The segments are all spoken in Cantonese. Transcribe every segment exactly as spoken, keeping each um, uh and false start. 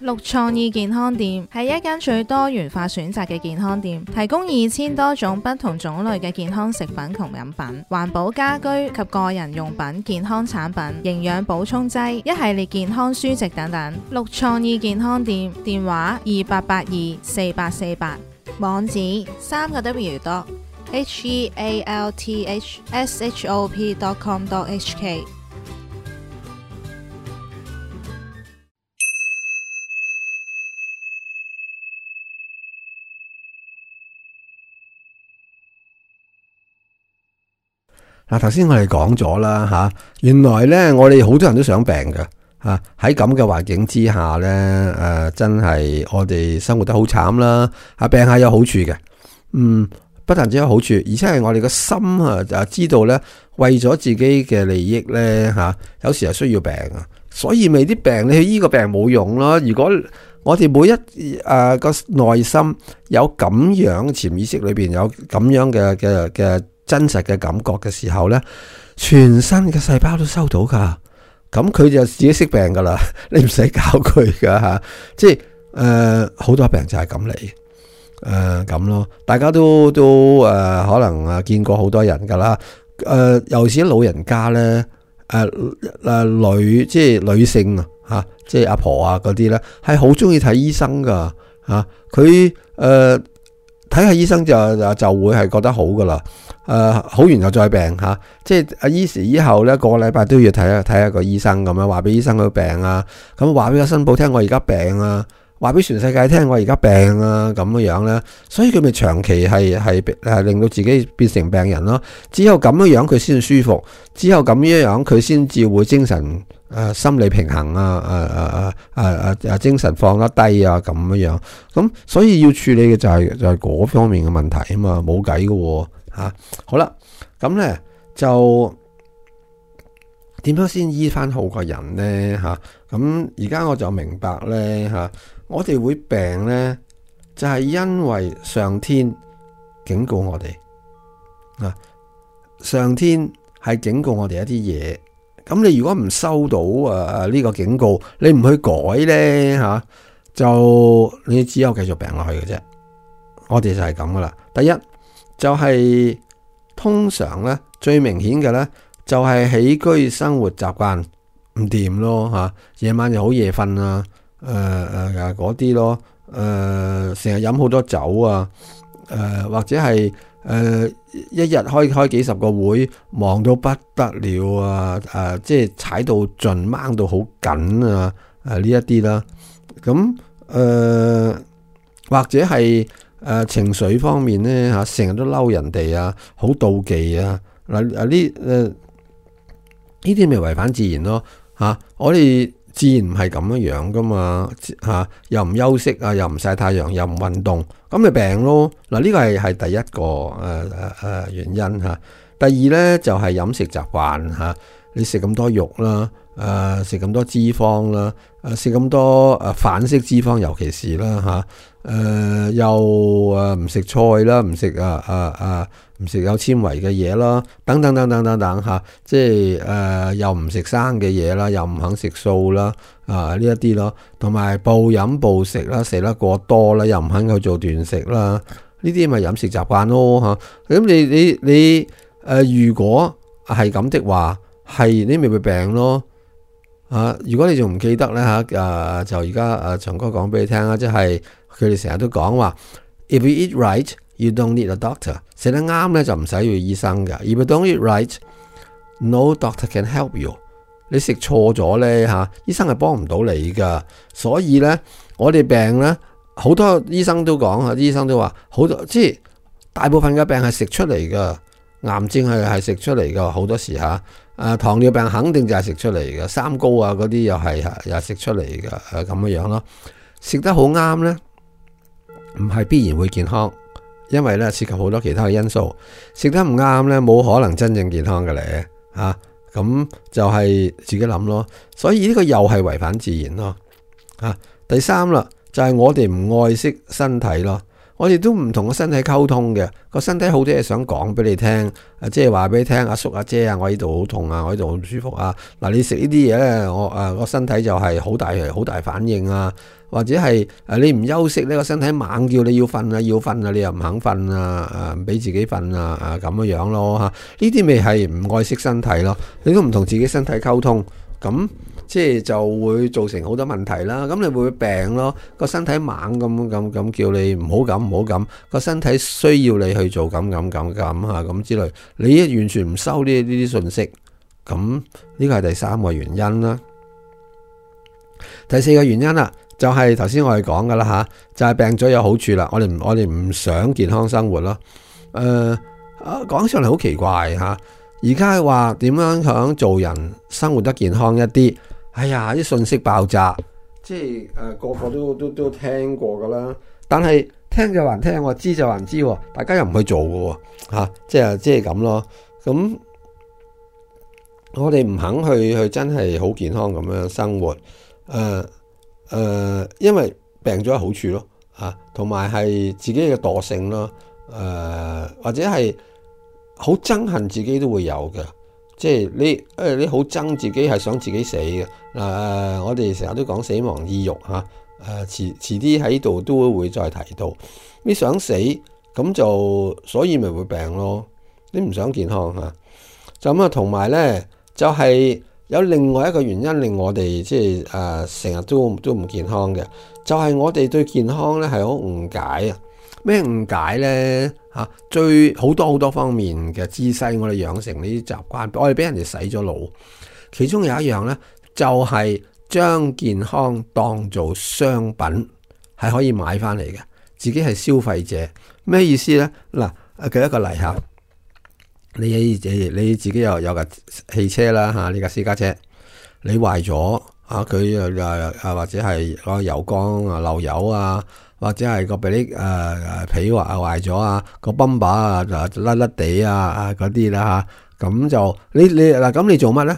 綠創意健康店係一間最多元化選擇嘅健康店，提供二千多種不同種類嘅健康食品同飲品、環保家居及個人用品、健康產品、營養補充劑、一系列健康書籍等等。綠創意健康店電話二八八二四八四八，網址三個 W 多 H E A L T H S H O P dot com dot H K。嗱，頭先我哋講咗啦吓，原來咧我哋好多人都想病嘅吓，喺咁嘅環境之下咧，誒、呃、真係我哋生活得好慘啦。啊，病下有好處嘅，嗯，不但只有好處，而且係我哋個心啊，就知道咧，為咗自己嘅利益咧吓，有時係需要病啊，所以咪啲病你去醫個病冇用咯。如果我哋每一誒個內心有咁樣潛意識裏邊有咁樣嘅嘅嘅。真實嘅感覺嘅時候呢，全身嘅細胞都收到噶，咁佢就自己識病噶啦，你唔使教佢噶吓，即係誒好多病就係咁嚟，誒咁咯，大家都都誒、呃、可能啊見過好多人噶啦，誒、呃、尤其是老人家呢，誒、呃、誒女即係女性啊吓，即係阿婆啊嗰啲呢，係好中意睇醫生噶吓，佢誒睇下醫生就就會係覺得好噶啦。誒、呃，好完又再病吓、啊，即係阿醫時以後咧，個個禮拜都要睇下睇下個醫生咁樣，話俾醫生佢病啊，咁話俾個新抱聽我而家病啊，話俾全世界聽我而家病啊，咁樣樣咧，所以佢咪長期係係係令到自己變成病人咯。只有咁樣樣佢先舒服，只有咁樣樣佢先至會精神誒、呃、心理平衡啊，誒誒誒誒誒誒精神放得低啊，咁樣樣。咁所以要處理嘅就係、是、就係、是、嗰方面嘅問題啊嘛，冇計噶。吓，好啦，咁咧就點樣先醫翻好個人咧？吓，咁而家我就明白咧，吓，我哋會病咧，就係因為上天警告我哋啊，上天係警告我哋一啲嘢。咁你如果唔收到誒誒呢個警告，你唔去改咧，吓，就你只有繼續病落去嘅啫。我哋就係咁噶啦。第一。就係、是、通常咧最明顯嘅咧就係、是、起居生活習慣唔掂咯吓，夜晚又好夜瞓啊，誒誒嗰啲咯，誒成日飲好多酒啊，誒、呃、或者係誒、呃、一日開開幾十個會，忙到不得了啊，誒、呃、即係踩到盡掹到好緊啊，誒呢一啲啦，咁誒、呃、或者係。誒、呃，情緒方面咧吓，成日都嬲人哋啊，好妒忌啊，嗱啊呢誒呢啲咪違反自然咯吓、啊，我哋自然唔係咁樣樣噶嘛吓、啊，又唔休息啊，又唔曬太陽，又唔運動，咁咪病咯。嗱、啊、呢、這個係係第一個誒誒誒原因吓、啊，第二咧就係、是、飲食習慣吓，你食咁多肉啦。誒食咁多脂肪啦，誒食咁多誒反式脂肪，尤其是啦嚇，誒、呃、又誒唔食菜啦，唔食啊啊啊唔食有纖維嘅嘢啦，等等等等等等嚇，即係誒、呃、又唔食生嘅嘢啦，又唔肯食素啦，啊呢一啲咯，同埋暴飲暴食啦，食得過多啦，又唔肯去做斷食啦，呢啲咪飲食習慣咯嚇。咁你你你誒、呃、如果係咁的話，係你咪會病咯。啊！如果你仲唔記得咧吓，誒、啊、就而家誒長哥講俾你聽啦，即係佢哋成日都講話 ，if you eat right, you don't need a doctor。食得啱咧就唔使要醫生噶。If you don't eat right, no doctor can help you。你食錯咗咧吓，醫生係幫唔到你噶。所以咧，我哋病咧，好多醫生都講啊，啲醫生都話好多，即係大部分嘅病係食出嚟噶，癌症係係食出嚟噶，好多時吓。啊，糖尿病肯定就係食出嚟嘅，三高啊嗰啲又係又係食出嚟嘅，誒咁樣樣咯。食得好啱咧，唔係必然會健康，因為咧涉及好多其他嘅因素。食得唔啱咧，冇可能真正健康嘅咧，啊咁就係自己諗咯。所以呢個又係違反自然咯。啊，第三啦，就係、是、我哋唔愛惜身體咯。我哋都唔同個身體溝通嘅，個身體好多嘢想講俾你聽，即係話俾你聽，阿叔阿姐啊，我呢度好痛啊，我呢度好唔舒服啊。嗱，你食呢啲嘢咧，我誒個身體就係好大好大反應啊，或者係誒你唔休息呢個身體猛叫你要瞓啊，要瞓啊，你又唔肯瞓啊，誒唔俾自己瞓啊，啊咁樣樣咯嚇，呢啲咪係唔愛惜身體咯，你都唔同自己身體溝通，咁即係就會造成好多問題啦。咁你會病咯，個身體猛咁咁咁叫你唔好咁唔好咁，個身體需要你去做咁咁咁咁嚇咁之類，你完全唔收呢呢啲信息，咁呢個係第三個原因啦。第四個原因啦，就係頭先我哋講噶啦吓，就係、是、病咗有好處啦。我哋我哋唔想健康生活咯。誒、呃，講上嚟好奇怪吓，而家話點樣想做人生活得健康一啲？哎呀，啲信息爆炸，即係誒、呃、個個都都都聽過噶啦。但係聽就還聽，我知就還知，大家又唔去做噶吓、啊，即係即係咁咯。咁我哋唔肯去去真係好健康咁樣生活。誒、呃、誒、呃，因為病咗有好處咯，吓，同埋係自己嘅惰性咯，誒、呃、或者係好憎恨自己都會有嘅。即係你誒，你好憎自己係想自己死嘅。嗱、呃，我哋成日都講死亡意欲吓，誒遲遲啲喺度都會再提到。你想死咁就，所以咪會病咯。你唔想健康吓，就咁啊。同埋咧，就係、是、有另外一個原因令我哋即係誒成日都都唔健康嘅，就係、是、我哋對健康咧係好誤解啊。咩誤解呢？嚇，最好多好多方面嘅姿勢，我哋養成呢啲習慣，我哋俾人哋洗咗腦。其中有一樣呢，就係、是、將健康當做商品，係可以買翻嚟嘅。自己係消費者，咩意思呢？嗱，舉一個例嚇，你你自己有有架汽車啦嚇，呢架私家車，你壞咗啊，佢又啊或者係個油缸啊漏油啊。或者係個比誒誒皮滑壞咗啊，個泵把啊就甩甩地啊啊嗰啲啦吓，咁就你你嗱咁你做乜咧？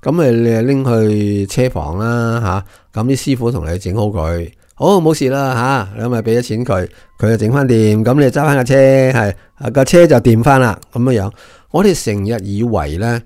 咁咪你拎去車房啦吓，咁啲師傅同你整好佢，好冇事啦吓，咁咪俾咗錢佢，佢就整翻掂，咁你揸翻架車係個車就掂翻啦咁樣樣。我哋成日以為咧，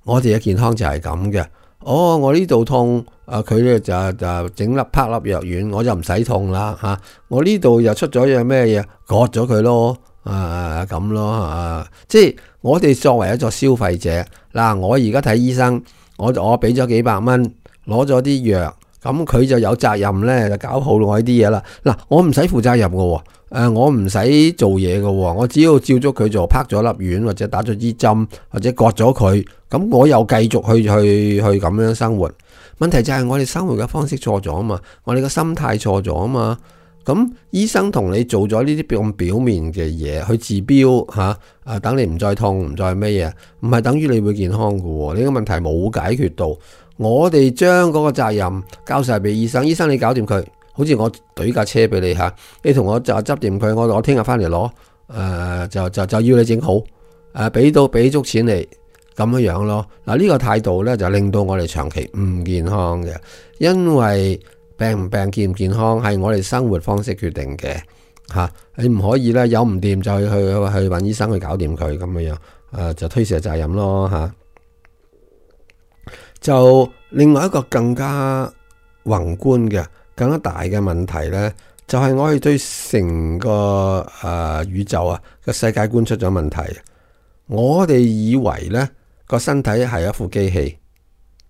我哋嘅健康就係咁嘅。哦，我呢度痛，啊佢咧就就整粒啪粒藥丸，我就唔使痛啦吓、啊。我呢度又出咗樣咩嘢，割咗佢咯，啊咁咯啊，即係我哋作為一個消費者，嗱、啊、我而家睇醫生，我我俾咗幾百蚊，攞咗啲藥，咁佢就有責任咧就搞好我呢啲嘢啦。嗱、啊，我唔使負責任噶，誒、啊、我唔使做嘢噶，我只要照咗佢做，啪咗粒丸或者打咗支針或者割咗佢。咁我又繼續去去去咁樣生活，問題就係我哋生活嘅方式錯咗啊嘛，我哋嘅心態錯咗啊嘛。咁醫生同你做咗呢啲咁表面嘅嘢去治標吓，啊等你唔再痛唔再咩嘢，唔係等於你會健康噶。呢個問題冇解決到，我哋將嗰個責任交晒俾醫生，醫生你搞掂佢，好似我懟架車俾你吓，你同我就執掂佢，我我聽日翻嚟攞，誒、呃、就就就要你整好，誒俾到俾足錢你。咁樣樣咯，嗱、這、呢個態度咧就令到我哋長期唔健康嘅，因為病唔病健唔健康係我哋生活方式決定嘅吓、啊，你唔可以咧有唔掂就去去去揾醫生去搞掂佢咁樣樣，誒、啊、就推卸責任咯吓、啊。就另外一個更加宏觀嘅、更加大嘅問題咧，就係、是、我哋對成個誒、呃、宇宙啊個世界觀出咗問題，我哋以為咧。個身體係一副機器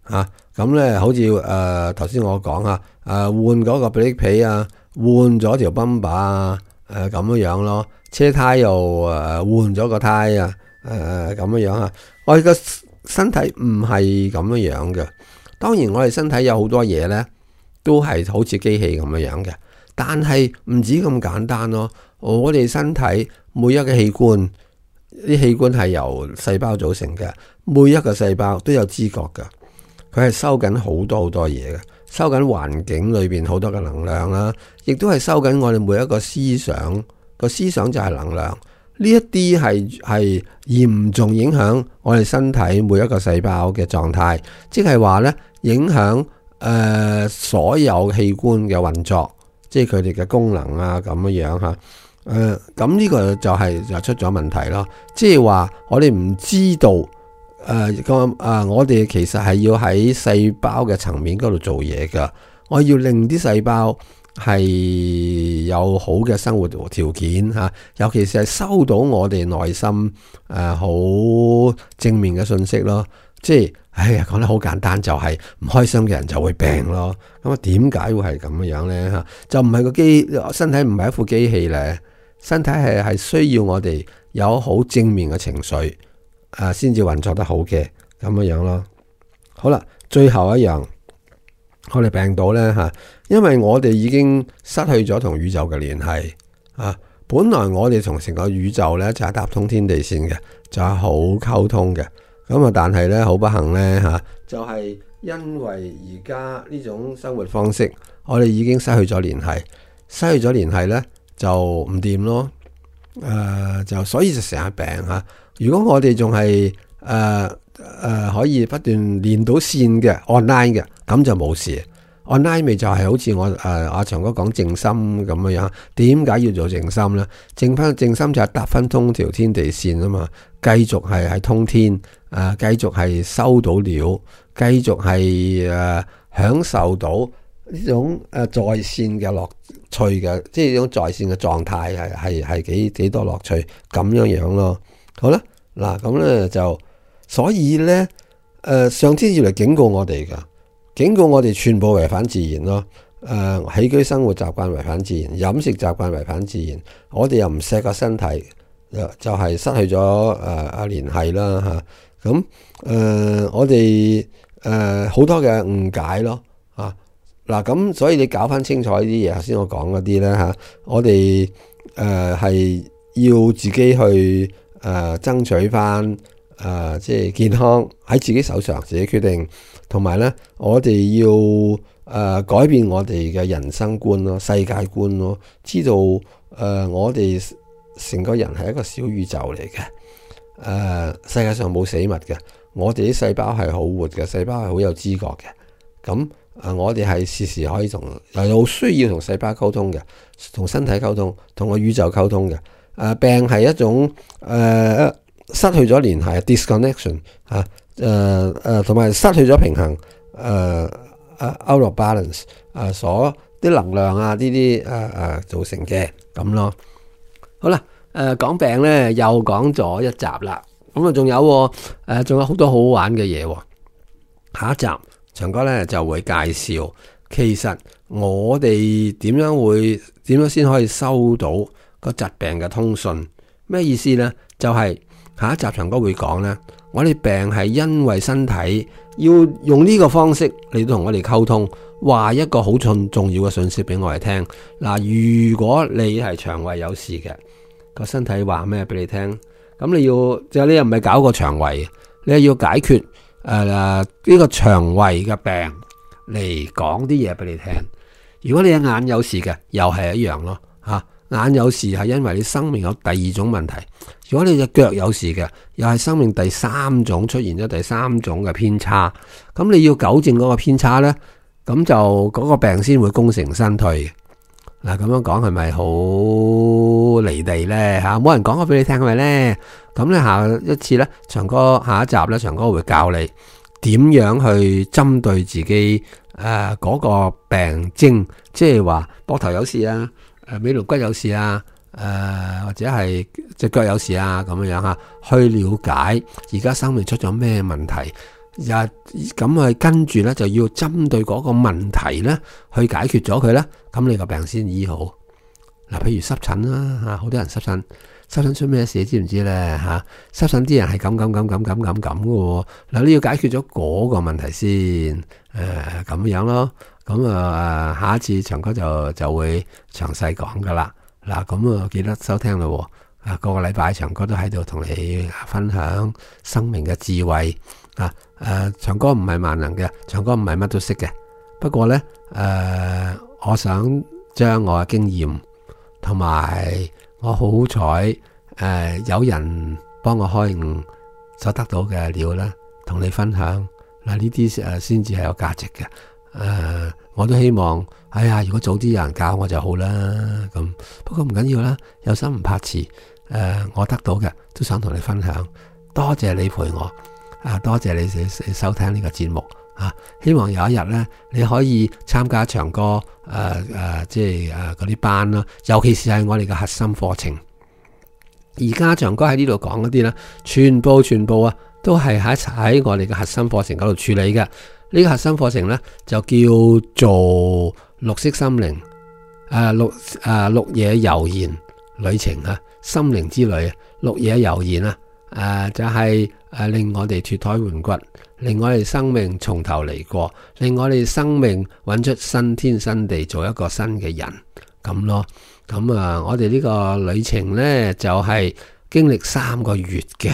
吓，咁咧好似誒頭先我講啊，誒換嗰個比力皮啊，換咗條泵把啊，誒咁樣樣咯，車胎又誒換咗個胎啊，誒咁樣樣啊，我哋個身體唔係咁樣樣嘅。當然我哋身體有好多嘢咧，都係好似機器咁樣樣嘅，但係唔止咁簡單咯。我哋身體每一個器官。啲器官係由細胞組成嘅，每一個細胞都有知覺嘅，佢係收緊好多好多嘢嘅，收緊環境裏邊好多嘅能量啦，亦都係收緊我哋每一個思想，個思想就係能量，呢一啲係係嚴重影響我哋身體每一個細胞嘅狀態，即係話呢影響誒、呃、所有器官嘅運作，即係佢哋嘅功能啊咁樣樣嚇。誒咁呢個就係就出咗問題咯。即係話我哋唔知道誒個誒，我哋其實係要喺細胞嘅層面嗰度做嘢噶。我要令啲細胞係有好嘅生活條件嚇，尤其是係收到我哋內心誒好正面嘅信息咯。即係，哎呀，講得好簡單，就係唔開心嘅人就會病咯。咁啊，點解會係咁樣咧？嚇，就唔係個機身體唔係一副機器咧，身體係係需要我哋有好正面嘅情緒啊，先至運作得好嘅咁樣樣咯。好啦，最後一樣，我哋病到咧嚇，因為我哋已經失去咗同宇宙嘅聯繫啊。本來我哋同成個宇宙咧就係搭通天地線嘅，就係好溝通嘅。咁啊，但係咧好不幸咧吓，就係因為而家呢種生活方式，我哋已經失去咗聯繫，失去咗聯繫咧就唔掂咯。誒、呃，就所以就成日病吓。如果我哋仲係誒誒可以不斷連到線嘅 online 嘅，咁就冇事。online 咪就係好似我誒阿長哥講靜心咁樣樣。點解要做靜心咧？靜翻靜心就係搭翻通條天地線啊嘛，繼續係係通天。誒、呃，繼續係收到料，繼續係誒、呃、享受到呢種誒、呃、在線嘅樂趣嘅，即係呢種在線嘅狀態係係係幾幾多樂趣咁樣樣咯。好啦，嗱咁咧就，所以咧誒、呃，上天要嚟警告我哋噶，警告我哋全部違反自然咯。誒、呃，起居生活習慣違反自然，飲食習慣違反自然，我哋又唔錫個身體，就係、是、失去咗誒啊聯繫啦吓。咁誒、呃，我哋誒好多嘅誤解咯，啊嗱，咁所以你搞翻清楚呢啲嘢，頭先我講嗰啲咧嚇，我哋誒係要自己去誒、呃、爭取翻誒、呃、即係健康喺自己手上，自己決定，同埋咧我哋要誒、呃、改變我哋嘅人生觀咯、世界觀咯，知道誒、呃、我哋成個人係一個小宇宙嚟嘅。誒、呃，世界上冇死物嘅，我哋啲細胞係好活嘅，細胞係好有知覺嘅。咁誒、呃，我哋係時時可以同，又有需要同細胞溝通嘅，同身體溝通，同個宇宙溝通嘅。誒、呃，病係一種誒、呃、失去咗聯繫 disconnection 吓，誒誒，同埋失去咗平衡，誒、呃、誒 out of balance，誒、呃、所啲能量啊，呢啲誒誒造成嘅咁咯。好啦。誒，講、呃、病咧又講咗一集啦，咁啊仲有誒，仲、呃、有好多好好玩嘅嘢。下一集長哥咧就會介紹，其實我哋點樣會點樣先可以收到個疾病嘅通訊？咩意思咧？就係、是、下一集長哥會講咧，我哋病係因為身體要用呢個方式嚟到同我哋溝通，話一個好重重要嘅信息俾我哋聽。嗱、呃，如果你係腸胃有事嘅。個身體話咩俾你聽？咁你要就你又唔係搞個腸胃，你係要解決誒呢、呃這個腸胃嘅病嚟講啲嘢俾你聽。如果你嘅眼有事嘅，又係一樣咯吓、啊。眼有事係因為你生命有第二種問題。如果你隻腳有事嘅，又係生命第三種出現咗第三種嘅偏差。咁你要糾正嗰個偏差咧，咁就嗰個病先會功成身退。嗱，咁樣講係咪好離地咧吓？冇人講過俾你聽係咪咧？咁咧下一次咧，長哥下一集咧，長哥會教你點樣去針對自己誒嗰、呃那個病徵，即係話膊頭有事啊，誒尾龍骨有事啊，誒、呃、或者係隻腳有事啊，咁樣樣吓，去了解而家生命出咗咩問題。又咁啊，跟住咧就要針對嗰個問題咧去解決咗佢咧，咁你個病先醫好。嗱，譬如濕疹啦吓，好多人濕疹，濕疹出咩事知唔知咧吓？濕疹啲人係咁咁咁咁咁咁咁嘅。嗱，你要解決咗嗰個問題先，誒、呃、咁樣咯。咁啊，下一次長哥就就會詳細講噶啦。嗱，咁啊記得收聽咯。啊，個個禮拜長哥都喺度同你分享生命嘅智慧。啊，誒、呃，長哥唔係萬能嘅，長哥唔係乜都識嘅。不過咧，誒、呃，我想將我嘅經驗同埋我好彩，誒、呃，有人幫我開悟所得到嘅料咧，同你分享。嗱，呢啲誒先至係有價值嘅。呃，我都希望，哎呀，如果早啲有人教我就好啦。咁不過唔緊要啦，有心唔怕遲。誒、呃，我得到嘅都想同你分享。多謝你陪我，啊，多謝你收聽呢個節目啊！希望有一日咧，你可以參加唱歌，誒、呃、誒、呃，即係誒嗰啲班啦，尤其是係我哋嘅核心課程。而家唱歌喺呢度講嗰啲咧，全部全部啊，都係喺喺我哋嘅核心課程嗰度處理嘅。呢、這個核心課程咧就叫做綠色心靈，誒、呃、綠誒、呃、綠野遊言旅程啊，心靈之旅啊，綠野遊言啊。誒、呃，就係、是、誒、呃、令我哋脫胎換骨，令我哋生命從頭嚟過，令我哋生命揾出新天新地，做一個新嘅人咁咯。咁啊，我哋呢個旅程呢，就係、是、經歷三個月嘅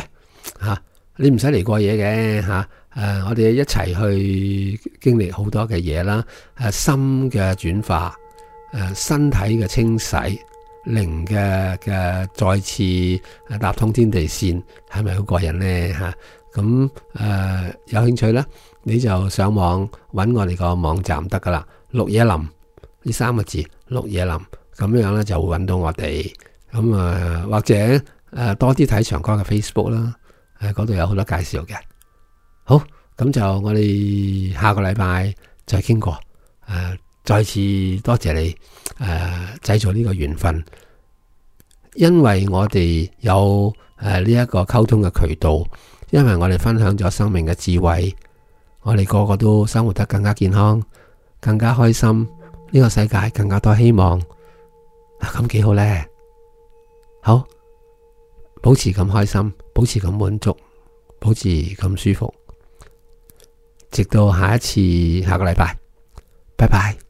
吓、啊，你唔使嚟過夜嘅吓。誒、啊，我哋一齊去經歷好多嘅嘢啦，誒、啊，心嘅轉化，誒、啊，身體嘅清洗。靈嘅嘅再次搭通天地線，係咪好過癮呢？吓？咁誒有興趣咧，你就上網揾我哋個網站得噶啦。綠野林呢三個字，綠野林咁樣咧就會揾到我哋。咁啊、呃、或者誒、呃、多啲睇長哥嘅 Facebook 啦，誒嗰度有好多介紹嘅。好，咁就我哋下個禮拜再傾過誒。呃再次多謝你誒、呃、製造呢個緣分，因為我哋有誒呢一個溝通嘅渠道，因為我哋分享咗生命嘅智慧，我哋個個都生活得更加健康、更加開心，呢、這個世界更加多希望，咁幾好呢？好，保持咁開心，保持咁滿足，保持咁舒服，直到下一次下個禮拜，拜拜。